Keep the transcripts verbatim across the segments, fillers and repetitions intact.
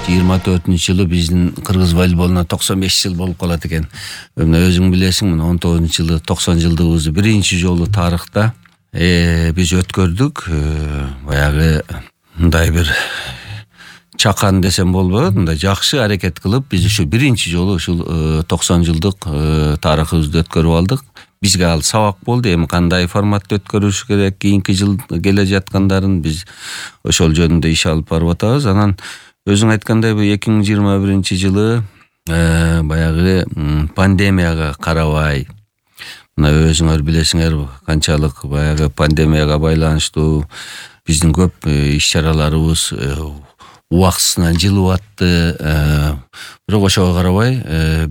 жыйырма төртүнчү жылы биздин кыргыз волейболуна токсон беш жыл болуп калат экен. Мына өзүң билесиң, мына он тогузунчу жылы токсон жылдыгыбызды биринчи жолу тарыхта биз өткөрдүк. Баягы мындай бир чакан десем болбойт, мындай жакшы аракет кылып биз ушу биринчи жолу ушул токсон жылдык тарыхыбызды өткөрүп алдык. Бизге ал сабак болду. Эми кандай форматта өткөрүш керек, кийинки жыл келе жаткандарын биз ошол жөнүндө иш алып барып атабыз. Анан өзүң айткандай бу эки миң жыйырма биринчи жылы баягы пандемияга карабай, мына өзүңөр билесиңер канчалык баягы пандемияга байланыштуу биздин көп иш-чараларыбыз убактысынан жылып атты. Бирок ошого карабай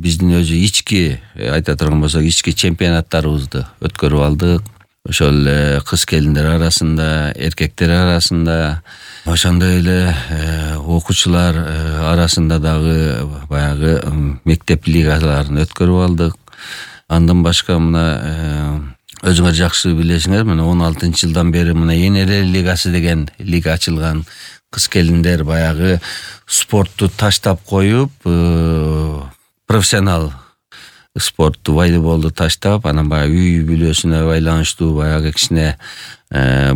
биздин өзү ички айта турган болсок, ички чемпионаттарыбызды өткөрүп алдык. Ошол эле кыз келиндер арасында, эркектер арасында, ошондой эле окуучулар арасында дагы баягы мектеп лигаларын өткөрүп алдык. Андан башка мына өзүңөр жакшы билесиңер, мына он алтынчы жылдан бери мына Энелер лигасы деген лига ачылган. Кыз келиндер баягы спортту таштап коюп, профессионал спортту, волейболду таштап, анан баягы үй бүлөсүнө байланыштуу баягы кичине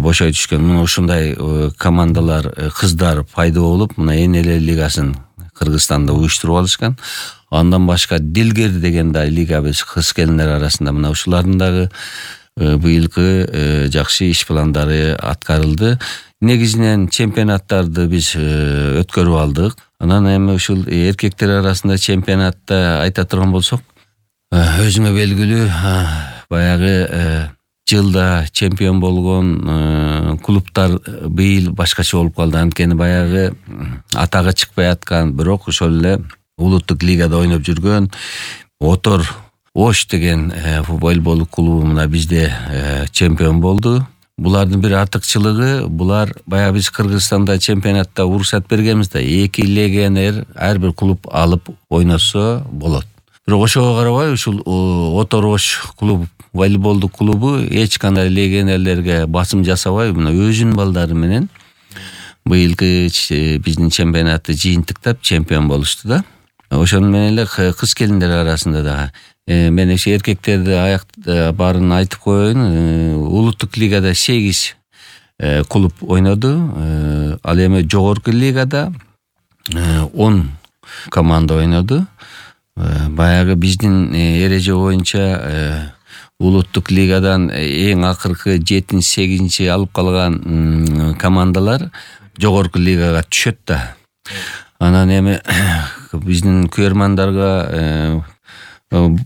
бошой түшкөн мына ушундай командалар, кыздар пайда болуп, мына Энелер лигасын Кыргызстанда уюштуруп алышкан. Андан башка Дилгер деген да лига биз кыз келиндер арасында, мына ушулардын дагы быйылкы жакшы иш пландары аткарылды. Негизинен чемпионаттарды биз өткөрүп алдык. Анан эми ушул эркектер арасында чемпионатта айта турган болсок, өзүңө белгилүү баягы жылда чемпион болгон клубтар быйыл башкача болуп калды. Анткени баягы атагы чыкпай аткан, бирок ошол эле улуттук лигада ойноп жүргөн Отор Ош деген волейбол клубу мына бизде чемпион болду. Булардын бир артыкчылыгы, булар баягы биз Кыргызстанда чемпионатта уруксат бергенбиз да, эки легионер ар бир клуб алып ойносо болот. Бирок ошого карабай ушул Отор Ош клуб, волейболдук клубу эч кандай легионерлерге басым жасабай, мына өзүнүн балдары менен быйылкы биздин чемпионатты жыйынтыктап чемпион болушту да. Ошону менен эле кыз келиндер арасында да мен ошо эркектерди аяк баарын айтып коеюн. Улуттук лигада сегиз клуб ойноду. Ал эми жогорку лигада он команда ойноду. Баягы биздин эреже боюнча улуттук лигадан эң акыркы жетинчи, сегизинчи алып калган командалар жогорку лигага түшөт да. Анан эми биздин көрөрмандарга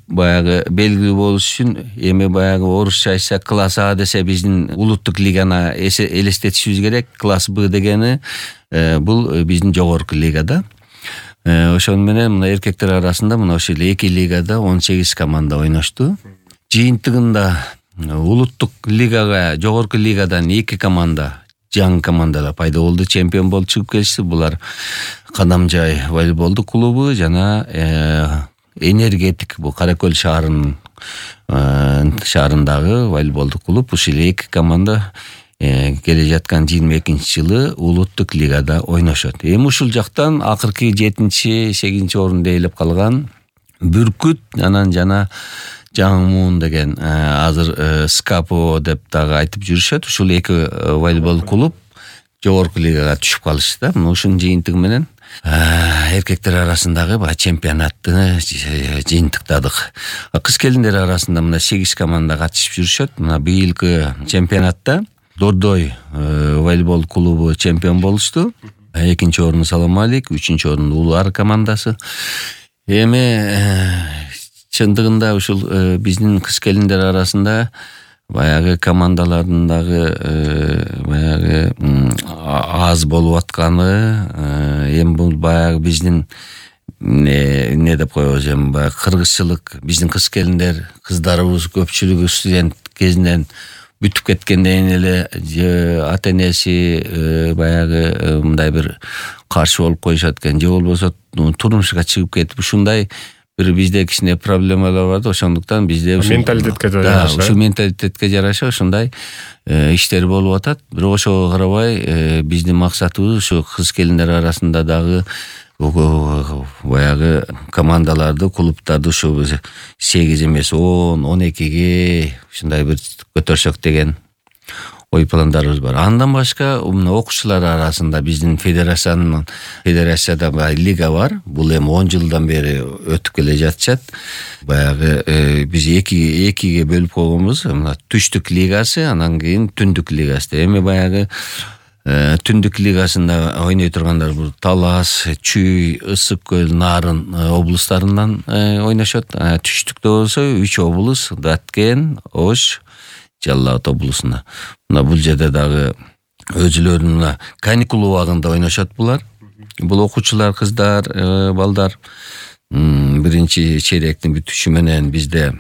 баягы белгилүү болуш үчүн эми баягы орусча айтса класс А десе биздин улуттук лиганы элестетишибиз керек. Класс Б дегени бул биздин жогорку лигада. Ошону менен мына эркектер арасында мына ошол эки лигада он сегиз команда ойношту. Жыйынтыгында улуттук лигага, жогорку лигадан эки команда, жаңы командалар пайда болду, чемпион болуп чыгып келишти. Булар Кадамжай волейболдук клубу жана Энергетик, бул Каракөл шаарынын шаарындагы волейболдук клуб. Ушул эки команда келе жаткан жыйырма экинчи жылы улуттук лигада ойношот. Эми ушул жактан акыркы жетинчи, сегизинчи орунду ээлеп калган Бүркүт, анан жана Жаңы Муун деген азыр Скапо деп дагы айтып жүрүшөт. Ушул эки волейбол клуб жогорку лигага түшүп калышты да. Ушунун жыйынтыгы менен эркектер арасындагы баягы чемпионатты жыйынтыктадык. Кыз келиндер арасында мына сегиз команда катышып жүрүшөт. Мына быйылкы чемпионатта Дордой волейбол клубу чемпион болушту. Экинчи орунду Саламалик, үчүнчү орунду Улар командасы. Эми чындыгында ушул биздин кыз келиндер арасында баягы командалардын дагы баягы аз болуп атканы, эми бул баягы биздин не деп коебуз, эми баягы кыргызчылык, биздин кыз келиндер, кыздарыбыз көпчүлүгү студент кезинен бүтүп кеткенден эле же ата энеси баягы мындай бир каршы болуп коюшат экен, же болбосо турмушка чыгып кетип ушундай бир бизде кичине проблемалар бар да. Ошондуктан бизде менталитетке жараша, ушу менталитетке жараша ушундай иштер болуп атат. Бирок ошого карабай биздин максатыбыз ушу кыз келиндер арасында дагы баягы командаларды, клубтарды ушу сегиз эмес он он экиге ушундай бир көтөрсөк деген ой пландарыбыз бар. Андан башка мына окуучулар арасында биздин федерациянын федерацияда баягы лига бар. Бул эми он жылдан бери өтүп келе жатышат. Баягы биз эки экиге бөлүп койгонбуз. Мына түштүк лигасы, анан кийин түндүк лигасы. Эми баягы түндүк лигасында ойной тургандар бул Талас, Чүй, Ысык көл, Нарын облустарынан ойношот. Түштүктө болсо үч облус: Даткен, Ош, Жалал Абад облусунда. Мына бул жерде дагы өзүлөрүнүн каникул убагында ойношот булар. Бул окуучулар, кыздар, балдар биринчи чейректин бүтүшү менен бизде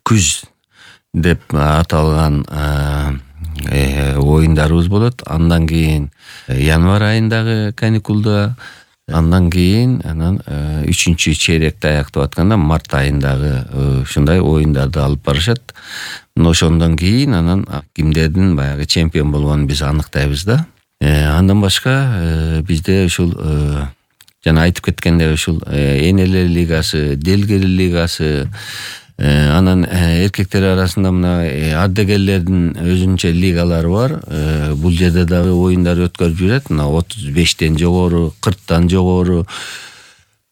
күз деп аталган оюндарыбыз болот. Андан кийин январь айындагы каникулда, андан кийин анан үчүнчү чейректи аяктап атканда март айындагы ушундай оюндарды алып барышат. Ошондон кийин анан кимдердин баягы чемпион болгонун биз аныктайбыз да. Андан башка бизде ушул жана айтып кеткендей ушул энелер лигасы, делгер лигасы, анан эркектер арасында мына ардагерлердин өзүнчө лигалары бар. Бул жерде дагы оюндар өткөрүп жүрөт. Мына отуз бештен жогору, кырктан жогору,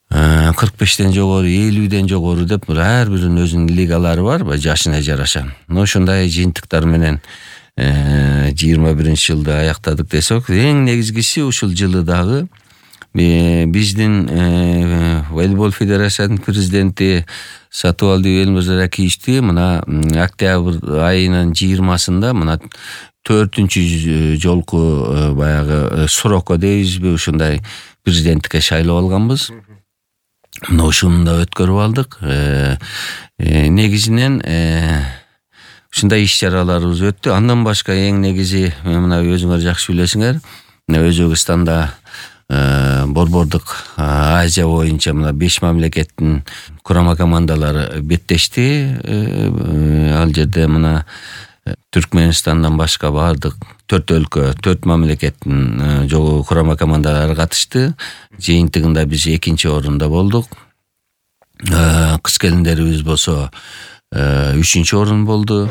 кырк бештен жогору, элүүдөн жогору деп ар биринин өзүнүн лигалары бар, жашына жараша. Ошондой жыйынтыктар менен жыйырма биринчи жылды аяктадык десек, эң негизгиси ушул жылы дагы биздин волейбол федерациясынын президенти Сатыбалды Элмырза Ракиевичти мына октябрь айынын жыйырмасында мына төртүнчү жолку баягы сроко дейбизби, ушундай президенттикке шайлап алганбыз. Мына ушуну да өткөрүп алдык. Негизинен ушундай иш-чараларыбыз өттү. Андан башка эң негизи мына өзүңөр жакшы билесиңер, Өзбекстанда борбордук Азия боюнча мына беш мамлекеттин курама командалары беттешти. Ал жерде мына Түркменистандан башка бардык төрт өлкө, төрт мамлекеттин курама командалары катышты. Жыйынтыгында биз экинчи орунда болдук. Кыз келиндерибиз болсо үчүнчү орун болду.